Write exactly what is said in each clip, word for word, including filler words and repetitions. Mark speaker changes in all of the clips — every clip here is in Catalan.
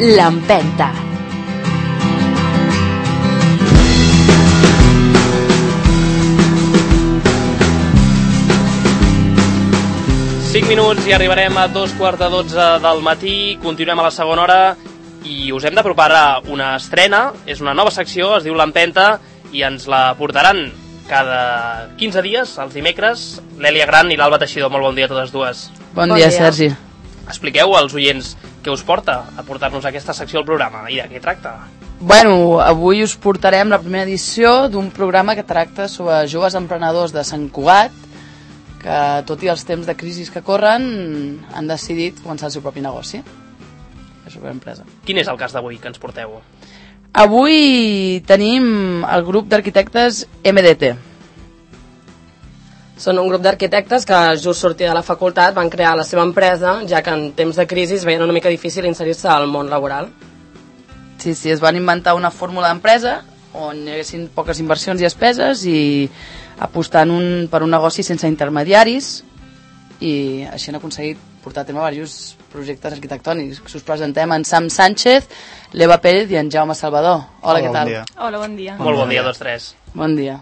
Speaker 1: L'Empenta.
Speaker 2: cinc minuts i arribarem a dos quarts de dotze del matí. Continuem a la segona hora i us hem de preparar una estrena. És una nova secció, es diu l'Empenta, i ens la portaran cada quinze dies, els dimecres, l'Èlia Gran i l'Alba Teixidor. Molt bon dia a totes dues.
Speaker 3: Bon, bon dia, dia, Sergi.
Speaker 2: Expliqueu als oients què us porta a portar-nos aquesta secció al programa i de què tracta.
Speaker 3: Bueno, avui us portarem la primera edició d'un programa que tracta sobre joves emprenedors de Sant Cugat que, tot i els temps de crisi que corren, han decidit començar el seu propi negoci. La seva empresa.
Speaker 2: Quin és el cas d'avui que ens porteu?
Speaker 3: Avui tenim el grup d'arquitectes M D T.
Speaker 4: Són un grup d'arquitectes que just sortia de la facultat van crear la seva empresa, ja que en temps de crisi es veien una mica difícil inserir-se al món laboral.
Speaker 3: Sí, sí, es van inventar una fórmula d'empresa on hi haguessin poques inversions i despeses i apostant un, per un negoci sense intermediaris, i així han aconseguit portar a terme diversos projectes arquitectònics. Us presentem en Sam Sánchez, l'Eva Pérez i en Jaume Salvador. Hola,
Speaker 5: Hola,
Speaker 3: què tal?
Speaker 5: Bon dia.
Speaker 6: Hola, bon dia.
Speaker 2: Molt bon dia a tots tres.
Speaker 3: Bon dia.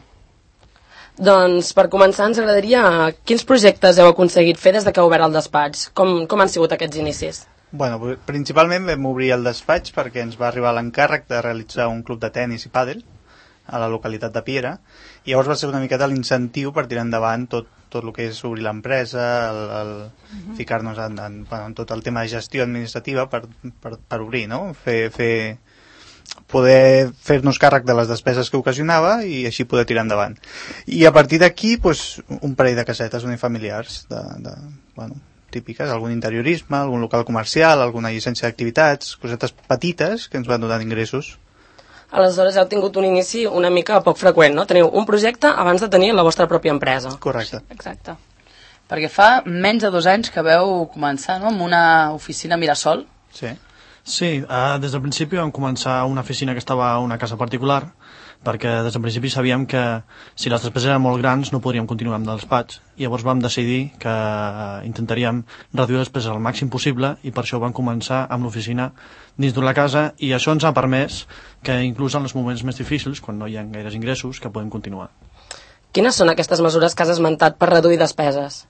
Speaker 4: Doncs per començar ens agradaria quins projectes heu aconseguit fer des de que heu obert el despatx? Com, com han sigut aquests inicis?
Speaker 5: Bueno, principalment vam obrir el despatx perquè ens va arribar l'encàrrec de realitzar un club de tennis i pàdel a la localitat de Piera, i llavors va ser una miqueta l'incentiu per tirar endavant tot, tot el que és obrir l'empresa, el, el uh-huh. ficar-nos en, en, bueno, en tot el tema de gestió administrativa per, per, per obrir, no? Fer, fer, poder fer-nos càrrec de les despeses que ocasionava i així poder tirar endavant. I a partir d'aquí, pues, un parell de casetes unifamiliars, de, de, bueno, típiques, algun interiorisme, algun local comercial, alguna llicència d'activitats, cosetes petites que ens van donant ingressos.
Speaker 4: Aleshores heu tingut un inici una mica poc freqüent, no? Teniu un projecte abans de tenir la vostra pròpia empresa.
Speaker 5: Correcte.
Speaker 3: Exacte. Perquè fa menys de dos anys que veu començar, no?, amb una oficina Mirasol.
Speaker 5: Sí.
Speaker 7: Sí, uh, des del principi vam començar una oficina que estava a una casa particular, perquè des del principi sabíem que si les despeses eren molt grans no podríem continuar amb el despatx, i llavors vam decidir que intentaríem reduir les despeses al màxim possible, i per això vam començar amb l'oficina dins de la casa, i això ens ha permès que inclús en els moments més difícils, quan no hi ha gaires ingressos, que podem continuar.
Speaker 4: Quines són aquestes mesures que has esmentat per reduir despeses?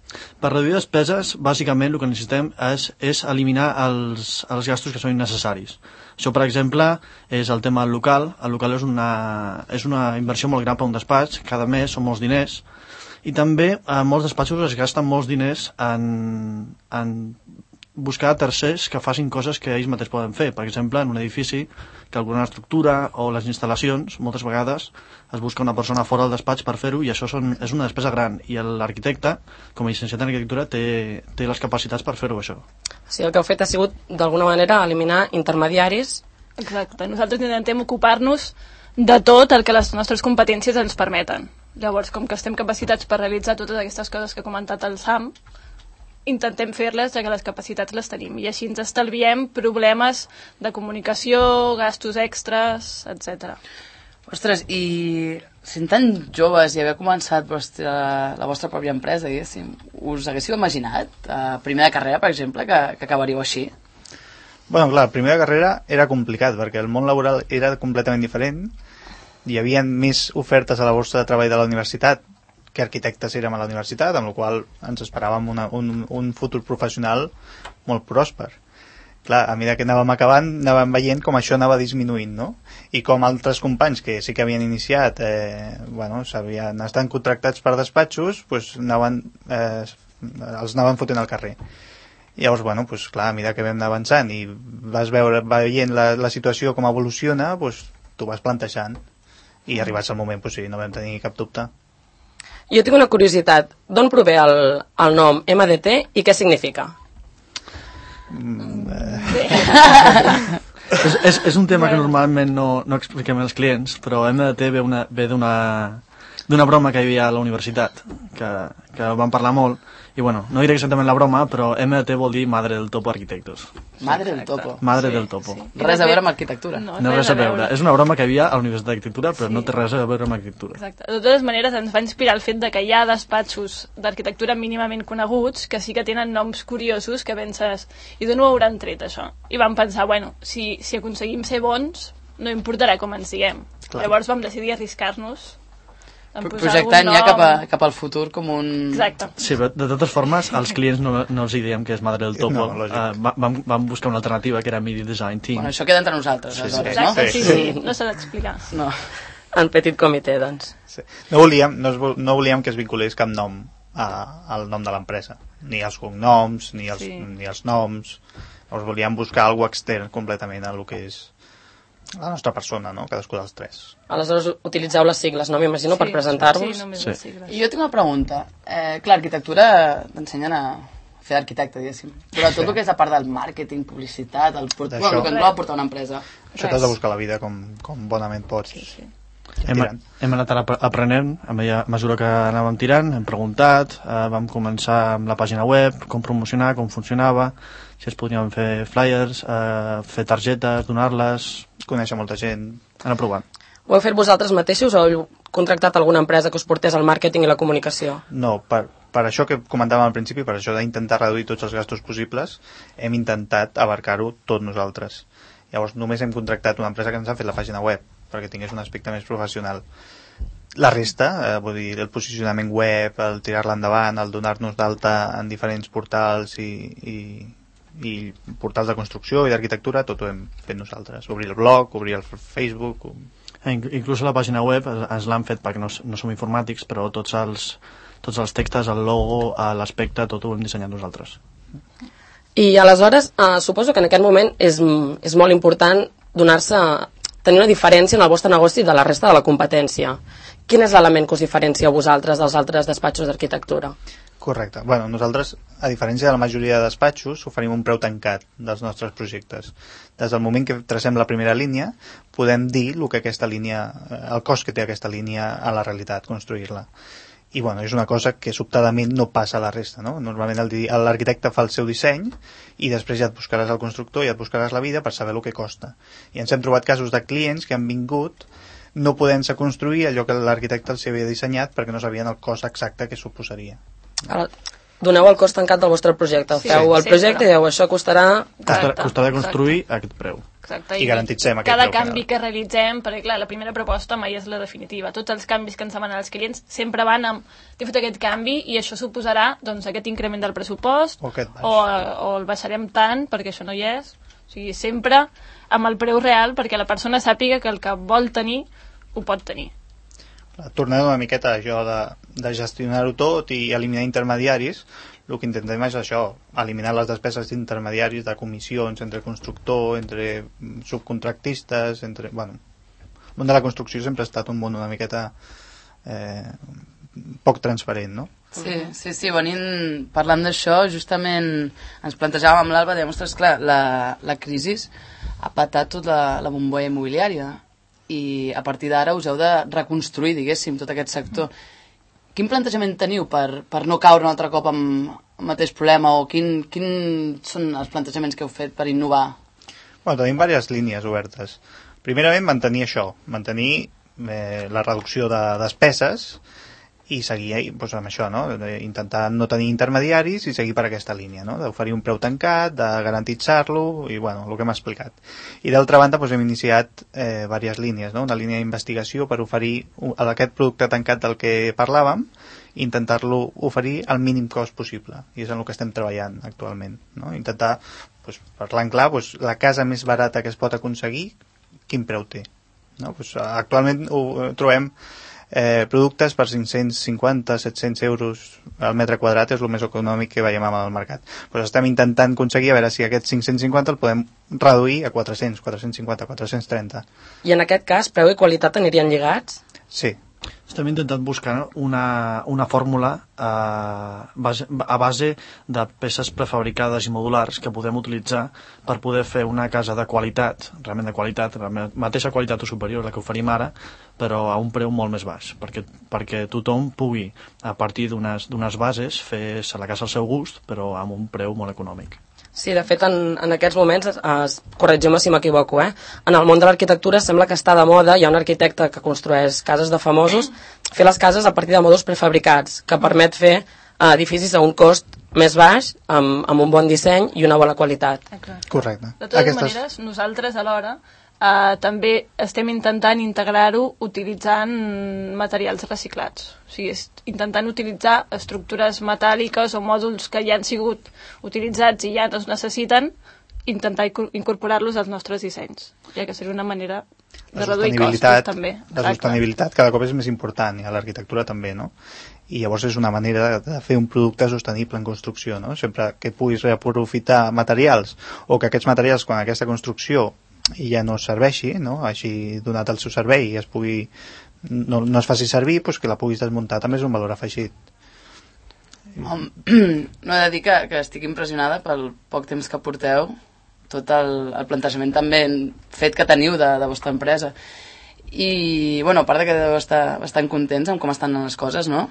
Speaker 7: Per reduir despeses, bàsicament el que necessitem és, és eliminar els, els gastos que són innecessaris. Això, per exemple, és el tema del local. El local és una, és una inversió molt gran per un despatx, cada mes són molts diners, i també a molts despatxos es gasten molts diners en, en buscar tercers que facin coses que ells mateixos poden fer. Per exemple, en un edifici, que alguna estructura o les instal·lacions, moltes vegades es busca una persona fora del despatx per fer-ho, i això són, és una despesa gran, i l'arquitecte, com a llicenciat en arquitectura, té, té les capacitats per fer-ho, això.
Speaker 4: O sigui, el que heu fet ha sigut, d'alguna manera, eliminar intermediaris.
Speaker 6: Exacte. Nosaltres intentem ocupar-nos de tot el que les nostres competències ens permeten. Llavors, com que estem capacitats per realitzar totes aquestes coses que ha comentat el Sam, intentem fer-les, ja que les capacitats les tenim, i així ens estalviem problemes de comunicació, gastos extras, etcètera.
Speaker 3: Ostres, i sent tan joves i haver començat vostra, la vostra pròpia empresa, diguéssim, us haguéssiu imaginat, a primer de carrera, per exemple, que, que acabaríeu així?
Speaker 5: Bueno, clar, primer de carrera era complicat, perquè el món laboral era completament diferent, hi havia més ofertes a la borsa de treball de la universitat que arquitectes érem a la universitat, amb la qual ens esperàvem una, un, un futur professional molt pròsper. Clar, a mesura que anàvem acabant, anàvem veient com això anava disminuint, no? I com altres companys que sí que havien iniciat, eh, bueno, s'havien estat contractats per despatxos, pues anaven, eh, els anaven fotent al carrer. I llavors, bueno, pues, clar, a mesura que vam anar avançant i vas veure, veient la, la situació com evoluciona, pues, t'ho vas plantejant, i arribats al moment, pues, sí, no vam tenir cap dubte.
Speaker 4: Jo tinc una curiositat. D'on prové el, el nom M D T i què significa?
Speaker 5: Mm, eh.
Speaker 7: és, és, és un tema que normalment no, no expliquem als clients, però M D T ve, una, ve d'una d'una broma que hi havia a la universitat, que, que vam parlar molt, I bueno, no diré exactament la broma, però M D T vol dir Madre del Topo Arquitectos.
Speaker 3: Madre del topo.
Speaker 7: Madre
Speaker 6: Sí,
Speaker 7: del Topo.
Speaker 6: sí.
Speaker 3: Res a veure amb arquitectura.
Speaker 6: No,
Speaker 7: No res a veure. És una broma que hi havia a la Universitat d'Arquitectura, però
Speaker 6: Sí.
Speaker 7: no té res a veure amb arquitectura.
Speaker 6: Exacte. De totes maneres, ens va inspirar el fet de que hi ha despatxos d'arquitectura mínimament coneguts que sí que tenen noms curiosos que penses, i d'on ho hauran tret, això? I vam pensar, bueno, si, si aconseguim ser bons, no importarà com ens diguem.
Speaker 5: Clar.
Speaker 6: Llavors vam decidir arriscar-nos en posar
Speaker 3: Projectant
Speaker 6: algun
Speaker 3: ja cap, a,
Speaker 6: nom.
Speaker 3: cap al futur com un...
Speaker 6: Exacte.
Speaker 7: Sí, però de totes formes, als clients no, no els hi diem que és Madre del Topo.
Speaker 5: No, lògic.
Speaker 7: uh, va- vam, vam buscar una alternativa que era Media Design Team.
Speaker 3: Bueno, això queda entre nosaltres,
Speaker 5: Sí,
Speaker 3: aleshores,
Speaker 5: sí.
Speaker 3: no?
Speaker 6: Exacte, sí,
Speaker 5: Sí.
Speaker 6: sí, no s'ha d'explicar.
Speaker 3: No.
Speaker 4: En petit comitè, doncs.
Speaker 5: Sí. No, volíem, no, es vol- no volíem que es vinculés cap nom a, al nom de l'empresa. Ni els cognoms, ni els,
Speaker 6: Sí.
Speaker 5: ni els noms. Llavors volíem buscar alguna extern completament a lo que és la nostra persona, no? Cadascú dels tres.
Speaker 4: Aleshores utilitzeu les sigles, no? M'imagino, per presentar-vos.
Speaker 6: Sí, només
Speaker 7: Sí.
Speaker 6: les sigles.
Speaker 3: I jo tinc una pregunta. Eh, clar, arquitectura t'ensenyen a fer d'arquitecte, diguéssim. Però tot
Speaker 5: Sí.
Speaker 3: el que és la part del màrqueting, publicitat, el, port...
Speaker 5: D'això.
Speaker 3: bueno, el que engloba portar una empresa.
Speaker 5: Això t'has de buscar la vida com, com bonament pots.
Speaker 6: Sí, sí.
Speaker 7: Hem,
Speaker 5: tirant.
Speaker 7: hem anat ap- aprenent a mesura- a mesura que anàvem tirant, hem preguntat, eh, vam començar amb la pàgina web, com promocionar, com funcionava, si es podien fer flyers, eh, fer targetes, donar-les,
Speaker 5: Conèixer molta gent.
Speaker 7: anar provant.
Speaker 4: Ho heu fet vosaltres mateixos o heu contractat alguna empresa que us portés al màrqueting i la comunicació?
Speaker 5: No, per, per això que comentàvem al principi, per això d'intentar reduir tots els gastos possibles, hem intentat abarcar-ho tot nosaltres. Llavors només hem contractat una empresa que ens ha fet la pàgina web, perquè tingués un aspecte més professional. La resta, eh, vull dir, el posicionament web, el tirar-la endavant, el donar-nos d'alta en diferents portals i, i, i portals de construcció i d'arquitectura, tot ho hem fet nosaltres. Obrir el blog, obrir el Facebook...
Speaker 7: Eh, inc- Inclús a la pàgina web es- ens l'han fet perquè no, s- no som informàtics, però tots els, tots els textos, el logo, eh, l'aspecte, tot ho hem dissenyat nosaltres.
Speaker 4: I aleshores, eh, suposo que en aquest moment és, és molt important donar-se, tenir una diferència en el vostre negoci de la resta de la competència. Quin és l'element que us diferencia a vosaltres dels altres despatxos d'arquitectura?
Speaker 5: Correcte. Bueno, nosaltres, a diferència de la majoria de despatxos, oferim un preu tancat dels nostres projectes. Des del moment que tracem la primera línia, podem dir el que aquesta línia, el cost que té aquesta línia a la realitat, construir-la. I bueno, és una cosa que sobtadament no passa a la resta, no? Normalment el di- l'arquitecte fa el seu disseny i després ja et buscaràs el constructor i et buscaràs la vida per saber el que costa. I ens hem trobat casos de clients que han vingut no podent-se construir allò que l'arquitecte els havia dissenyat perquè no sabien el cost exacte que suposaria.
Speaker 4: Ara, doneu el cost tancat del vostre projecte.
Speaker 6: Sí,
Speaker 4: Feu el
Speaker 6: sempre.
Speaker 4: projecte i dieu, això costarà...
Speaker 7: Costa,
Speaker 6: Correcte,
Speaker 7: costarà construir aquest preu.
Speaker 6: Exacte.
Speaker 5: I garantitzem aquest
Speaker 6: cada
Speaker 5: preu final.
Speaker 6: canvi que realitzem, perquè clar, la primera proposta mai és la definitiva. Tots els canvis que ens demanen els clients sempre van amb t'he fet aquest canvi i això suposarà doncs, aquest increment del pressupost
Speaker 5: O aquest baix.
Speaker 6: o, o el baixarem tant perquè això no hi és. O sigui, sempre amb el preu real perquè la persona sàpiga que el que vol tenir ho pot tenir.
Speaker 5: Tornant una miqueta a això de, de gestionar-ho tot i eliminar intermediaris, el que intentem és això, eliminar les despeses d'intermediaris, de comissions entre constructor, entre subcontractistes, entre... Bueno, el món de la construcció sempre ha estat un món una miqueta eh, poc transparent, no?
Speaker 3: Sí, sí, sí, venint, parlant d'això, justament ens plantejàvem amb l'Alba, dèiem, ostres, clar, la, la crisi ha patat tota la, la bombolla immobiliària i a partir d'ara us heu de reconstruir, diguéssim, tot aquest sector. Quin plantejament teniu per, per no caure un altre cop amb el mateix problema o quin, quin són els plantejaments que heu fet per innovar?
Speaker 5: Bueno, tenim diverses línies obertes. Primerament, mantenir això, mantenir eh, la reducció de despeses i seguir eh, doncs, amb això, no? Intentar no tenir intermediaris i seguir per aquesta línia, no? D'oferir un preu tancat, de garantitzar-lo i, bueno, el que hem explicat. I d'altra banda, doncs, hem iniciat eh, diverses línies, no? Una línia d'investigació per oferir un, aquest producte tancat del que parlàvem i intentar-lo oferir al mínim cost possible. I és en el que estem treballant actualment, no? Intentar, doncs, parlant clar, doncs, la casa més barata que es pot aconseguir, quin preu té, no? Doncs, actualment ho trobem eh, productes per cinc-cents cinquanta a set-cents euros al metre quadrat, és el més econòmic que veiem al mercat. Doncs estem intentant aconseguir a veure si aquest cinc-cents cinquanta el podem reduir a quatre-cents, quatre-cents cinquanta, quatre-cents trenta.
Speaker 4: I en aquest cas, preu i qualitat anirien lligats?
Speaker 5: Sí,
Speaker 7: Estem intentant buscar una, una fórmula a base, a base de peces prefabricades i modulars que podem utilitzar per poder fer una casa de qualitat, realment de qualitat, la mateixa qualitat o superior a la que oferim ara, però a un preu molt més baix, perquè, perquè tothom pugui, a partir d'unes d'unes bases, fer la casa al seu gust, però amb un preu molt econòmic.
Speaker 4: Sí, de fet, en, en aquests moments, es, corregim-me si m'equivoco, eh? En el món de l'arquitectura sembla que està de moda, hi ha un arquitecte que construeix cases de famosos, fer les cases a partir de mòduls prefabricats, que permet fer eh, edificis a un cost més baix, amb, amb un bon disseny i una bona qualitat.
Speaker 6: Exacte.
Speaker 5: Correcte.
Speaker 6: De totes
Speaker 5: Aquestes...
Speaker 6: maneres, nosaltres alhora eh, també estem intentant integrar-ho utilitzant materials reciclats. O sigui, intentant utilitzar estructures metàl·liques o mòduls que ja han sigut utilitzats i ja no es necessiten, intentar incorporar-los als nostres dissenys, ja que seria una manera de reduir costos també.
Speaker 5: La sostenibilitat cada cop és més important, i a l'arquitectura també, no? I llavors és una manera de fer un producte sostenible en construcció, no? Sempre que puguis reaprofitar materials, o que aquests materials, quan aquesta construcció ja no serveixi, no? Hagi donat el seu servei i es pugui no, no es faci servir, doncs que la puguis desmuntar també és un valor afegit.
Speaker 3: Home, no he de dir que, que estic impressionada pel poc temps que porteu, tot el, el plantejament també fet que teniu de, de vostra empresa, i bueno, a part de que deveu estar bastant contents amb com estan les coses, no?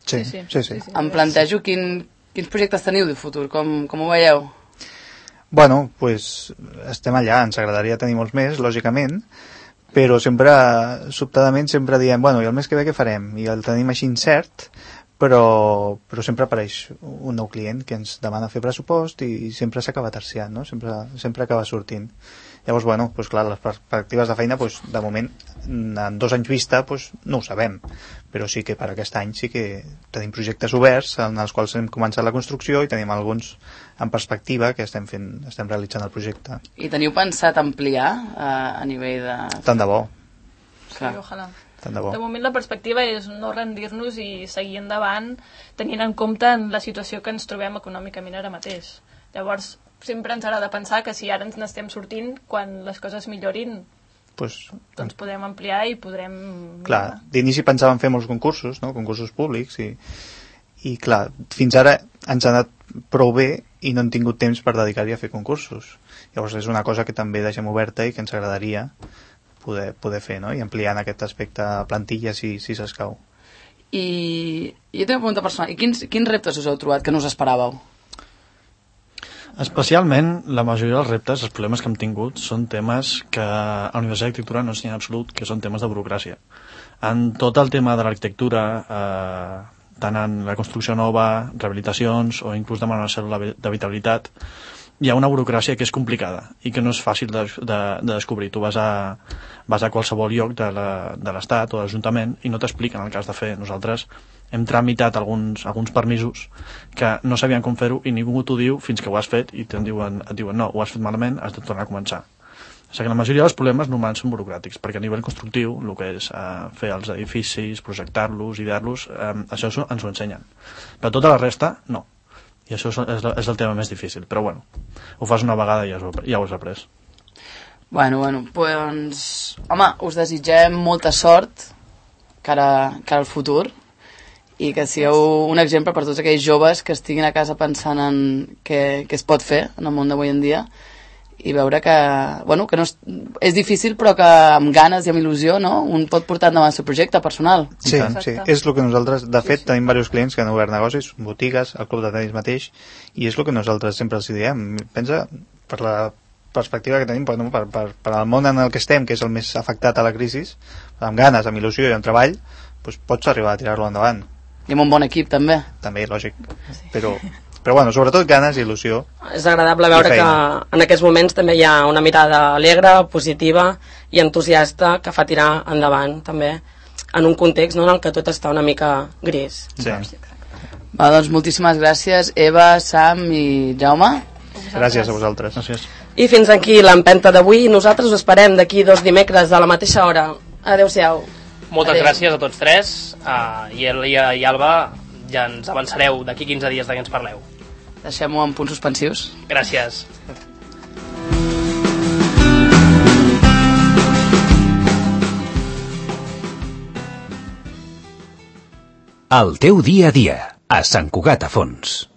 Speaker 5: Sí, sí, sí, sí.
Speaker 3: Em plantejo quin, quins projectes teniu de futur, com, com ho veieu?
Speaker 5: Bueno, pues estem allà, ens agradaria tenir molts més, lògicament, però sempre, sobtadament, sempre diem, bueno, i el mes que ve què farem? I el tenim així incert, però, però sempre apareix un nou client que ens demana fer pressupost i sempre s'acaba terciant, no? Sempre, sempre acaba sortint. Llavors, bueno, pues clar, les perspectives de feina, pues, de moment, en dos anys vista, pues, no ho sabem, però sí que per aquest any sí que tenim projectes oberts en els quals hem començat la construcció i tenim alguns en perspectiva que estem fent, estem realitzant el projecte.
Speaker 3: I teniu pensat ampliar a, a nivell de...
Speaker 5: Tant de bo.
Speaker 3: Clar.
Speaker 6: Sí, ojalà.
Speaker 5: Tant de bo.
Speaker 6: De moment la perspectiva és no rendir-nos i seguir endavant tenint en compte en la situació que ens trobem econòmicament ara mateix. Llavors, sempre ens agrada pensar que si ara ens n'estem sortint, quan les coses millorin,
Speaker 5: pues,
Speaker 6: doncs podem ampliar i podrem...
Speaker 5: Clar, d'inici pensàvem fer molts concursos, no? Concursos públics, i, i clar, fins ara ens ha anat prou bé i no hem tingut temps per dedicar-hi a fer concursos. Llavors és una cosa que també deixem oberta i que ens agradaria poder, poder fer, no? I ampliar en aquest aspecte plantilla si, si s'escau.
Speaker 3: I jo tinc una pregunta personal. I quins, quins reptes us heu trobat que no us esperàveu?
Speaker 7: Especialment, la majoria dels reptes, els problemes que hem tingut, són temes que a la Universitat d'Arquitectura no ensenyen en absolut, que són temes de burocràcia. En tot el tema de l'arquitectura, eh, tant en la construcció nova, rehabilitacions o inclús demanar una cèl·lula d'habitabilitat, hi ha una burocràcia que és complicada i que no és fàcil de, de, de descobrir. Tu vas a, vas a qualsevol lloc de l'Estat o de l'Ajuntament i no t'expliquen el que has de fer. Nosaltres hem tramitat alguns, alguns permisos que no sabien com fer-ho i ningú t'ho diu fins que ho has fet i et diuen, et diuen no, ho has fet malament, has de tornar a començar. O sigui que la majoria dels problemes normalment són burocràtics, perquè a nivell constructiu, el que és eh, fer els edificis, projectar-los, idear-los, eh, això ens ho ensenyen. Però tota la resta, no. I això és, és el tema més difícil, però bueno, ho fas una vegada i ja, ja ho has après.
Speaker 3: Bueno, bueno, doncs... Home, us desitgem molta sort cara, cara al futur i que sigueu un exemple per tots aquells joves que estiguin a casa pensant en què, què es pot fer en el món d'avui en dia i veure que, bueno, que no és, és difícil però que amb ganes i amb il·lusió, no? Un pot portar endavant el seu projecte personal.
Speaker 5: Sí, sí, és el que nosaltres, de fet, sí, sí. tenim diversos clients que han obert negocis, botigues, el club de tenis mateix, i és el que nosaltres sempre els diem. Pensa, per la perspectiva que tenim, per, per, per, per al món en el que estem, que és el més afectat a la crisi, amb ganes, amb il·lusió i amb treball, doncs pots arribar a tirar-lo endavant.
Speaker 3: I amb un bon equip, també.
Speaker 5: També, lògic. Però... Però bueno, sobretot ganes i il·lusió.
Speaker 4: És agradable veure que en aquests moments també hi ha una mirada alegre, positiva i entusiasta que fa tirar endavant també en un context, no, en el que tot està una mica gris.
Speaker 5: Sí.
Speaker 3: Va, doncs moltíssimes gràcies, Eva, Sam i Jaume.
Speaker 5: Gràcies a vosaltres.
Speaker 7: Gràcies.
Speaker 4: I fins aquí l'empenta d'avui. Nosaltres us esperem d'aquí dos dimecres a la mateixa hora. Adéu-siau.
Speaker 2: Moltes
Speaker 3: Adéu.
Speaker 2: gràcies a tots tres, uh, i Elia i Alba, ja ens avançareu d'aquí quinze dies de què ens parleu.
Speaker 3: Deixem-ho en punts suspensius.
Speaker 2: Gràcies.
Speaker 1: El teu dia a dia, a Sant Cugat a Fons.